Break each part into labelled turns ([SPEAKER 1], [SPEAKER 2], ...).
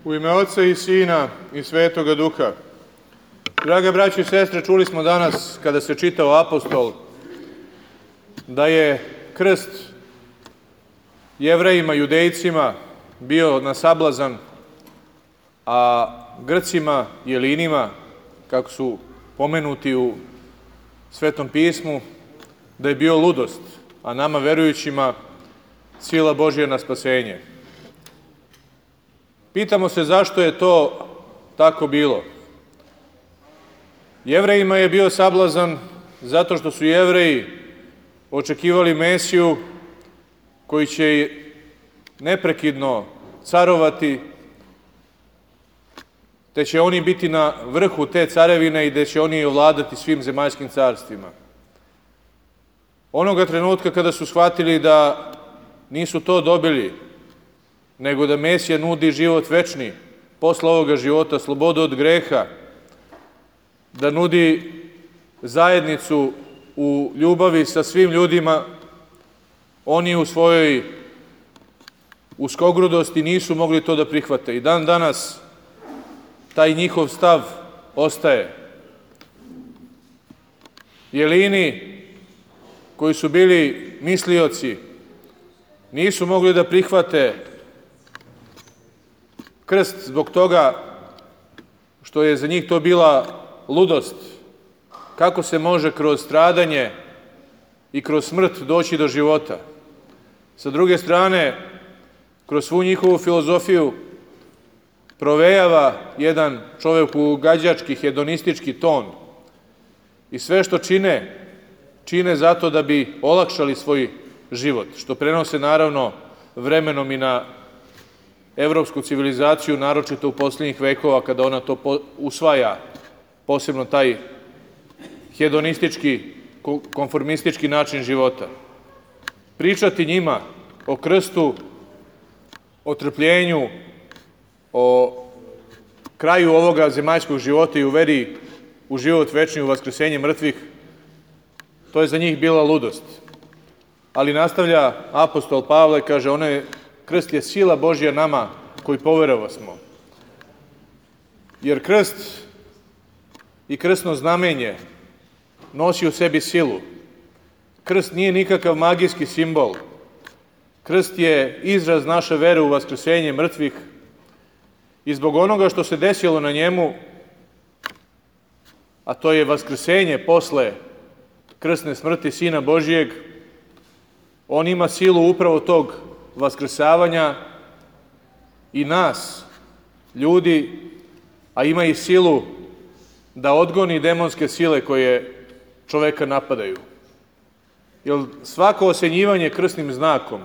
[SPEAKER 1] U ime Oca i Sina i Svetoga Duha. Draga braćo i sestre, čuli smo danas, kada se čitao apostol, da je krst Jevrejima, Judejcima bio na sablazan, a Grcima, Jelinima, kako su pomenuti u Svetom pismu, da je bio ludost, a nama verujućima sila Božja na spasenje. Pitamo se zašto je to tako bilo. Jevrejima je bio sablazan zato što su Jevreji očekivali Mesiju koji će neprekidno carovati, te će oni biti na vrhu te carevine i da će oni ovladati svim zemaljskim carstvima. Onoga trenutka kada su shvatili da nisu to dobili, nego da Mesija nudi život večni, posle ovoga života, slobodu od greha, da nudi zajednicu u ljubavi sa svim ljudima, oni u svojoj uskogrudosti nisu mogli to da prihvate. I dan danas taj njihov stav ostaje. Jelini, koji su bili mislioci, nisu mogli da prihvate krst zbog toga što je za njih to bila ludost. Kako se može kroz stradanje i kroz smrt doći do života? Sa druge strane, kroz svu njihovu filozofiju provejava jedan čovekogađački, hedonistički ton. I sve što čine zato da bi olakšali svoj život, što prenose naravno vremenom i na evropsku civilizaciju, naročito u posljednjih vekova, kada ona to usvaja, posebno taj hedonistički, konformistički način života. Pričati njima o krstu, o trpljenju, o kraju ovoga zemaljskog života i u veri u život večni, u vaskrsenje mrtvih, to je za njih bila ludost. Ali nastavlja apostol Pavle, kaže, krst je sila Božja nama koji poverovasmo. Jer krst i krstno znamenje nosi u sebi silu. Krst nije nikakav magijski simbol. Krst je izraz naše vere u vaskrsenje mrtvih i zbog onoga što se desilo na njemu, a to je vaskrsenje posle krstne smrti Sina Božijeg, on ima silu upravo tog vaskrsavanja i nas, ljudi, a ima i silu da odgoni demonske sile koje čoveka napadaju. Jer svako osenjivanje krstnim znakom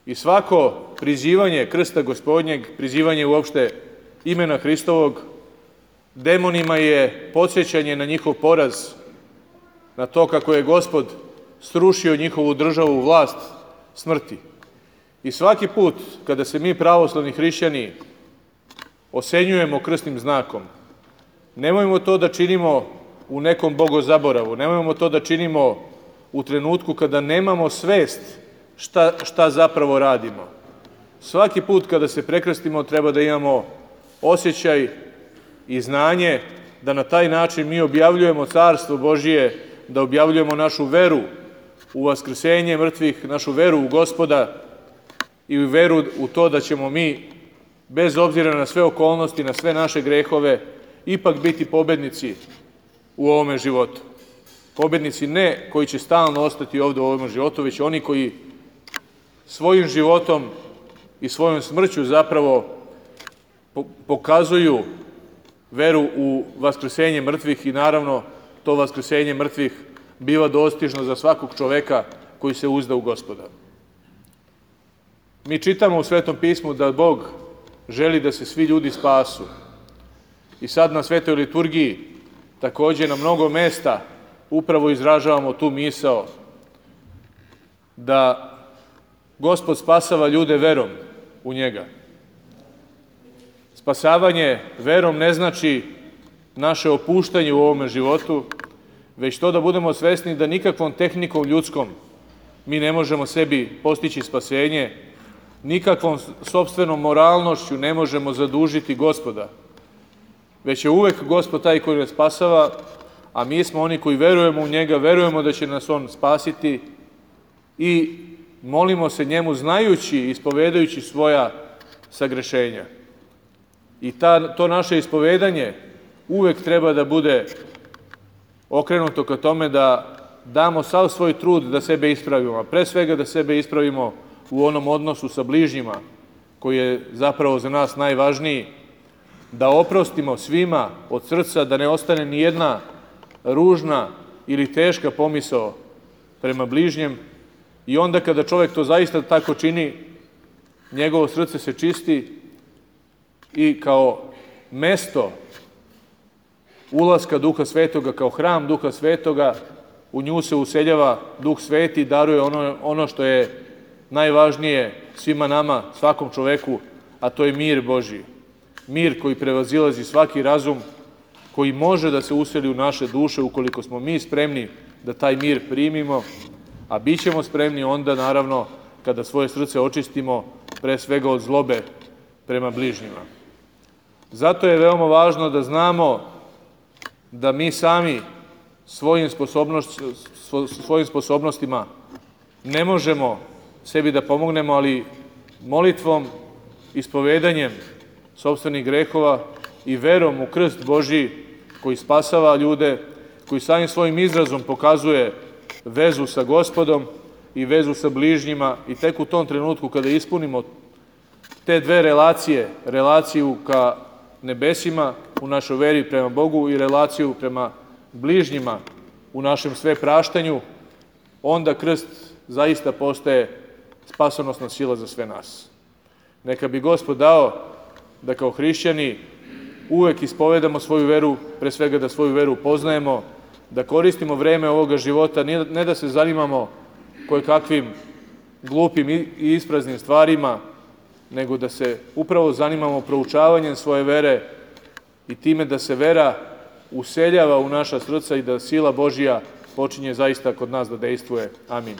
[SPEAKER 1] i svako prizivanje krsta Gospodnjeg, prizivanje uopšte imena Hristovog, demonima je podsjećanje na njihov poraz, na to kako je Gospod srušio njihovu državu, vlast smrti. I svaki put kada se mi pravoslavni hrišćani osenjujemo krstnim znakom, nemojmo to da činimo u nekom bogozaboravu, nemojmo to da činimo u trenutku kada nemamo svest šta zapravo radimo. Svaki put kada se prekrstimo treba da imamo osjećaj i znanje da na taj način mi objavljujemo Carstvo Božije, da objavljujemo našu veru u vaskrsenje mrtvih, našu veru u Gospoda i veru u to da ćemo mi, bez obzira na sve okolnosti, na sve naše grehove, ipak biti pobednici u ovome životu. Pobednici ne koji će stalno ostati ovde u ovom životu, već oni koji svojim životom i svojom smrću zapravo pokazuju veru u vaskrsenje mrtvih i naravno to vaskrsenje mrtvih biva dostižno za svakog čoveka koji se uzda u Gospoda. Mi čitamo u Svetom pismu da Bog želi da se svi ljudi spasu. I sad na Svetoj liturgiji takođe na mnogo mesta upravo izražavamo tu misao da Gospod spasava ljude verom u njega. Spasavanje verom ne znači naše opuštanje u ovome životu, već to da budemo svesni da nikakvom tehnikom ljudskom mi ne možemo sebi postići spasenje, nikakvom sopstvenom moralnošću ne možemo zadužiti Gospoda, već je uvek Gospod taj koji nas spasava, a mi smo oni koji verujemo u njega, verujemo da će nas on spasiti i molimo se njemu znajući i ispovedajući svoja sagrešenja. I to naše ispovedanje uvek treba da bude okrenuto ka tome da damo sav svoj trud da sebe ispravimo, a pre svega da sebe ispravimo u onom odnosu sa bližnjima, koji je zapravo za nas najvažniji, da oprostimo svima od srca, da ne ostane ni jedna ružna ili teška pomisao prema bližnjem, i onda kada čovek to zaista tako čini, njegovo srce se čisti i kao mesto ulaska Duha Svetoga, kao hram Duha Svetoga, u nju se useljava Duh Sveti i daruje ono što je najvažnije svima nama, svakom čoveku, a to je mir Božji. Mir koji prevazilazi svaki razum, koji može da se useli u naše duše ukoliko smo mi spremni da taj mir primimo, a bit ćemo spremni onda, naravno, kada svoje srce očistimo pre svega od zlobe prema bližnjima. Zato je veoma važno da znamo da mi sami svojim sposobnostima ne možemo sebi da pomognemo, ali molitvom, ispovedanjem sopstvenih grehova i verom u krst Božji koji spasava ljude, koji samim svojim izrazom pokazuje vezu sa Gospodom i vezu sa bližnjima, i tek u tom trenutku kada ispunimo te dve relacije, relaciju ka nebesima u našoj veri prema Bogu i relaciju prema bližnjima u našem sve praštanju, onda krst zaista postaje spasonosna sila za sve nas. Neka bi Gospod dao da kao hrišćani uvek ispovedamo svoju veru, pre svega da svoju veru poznajemo, da koristimo vreme ovoga života, ne da se zanimamo kojekakvim glupim i ispraznim stvarima, nego da se upravo zanimamo proučavanjem svoje vere i time da se vera useljava u naša srca i da sila Božja počinje zaista kod nas da dejstvuje. Amin.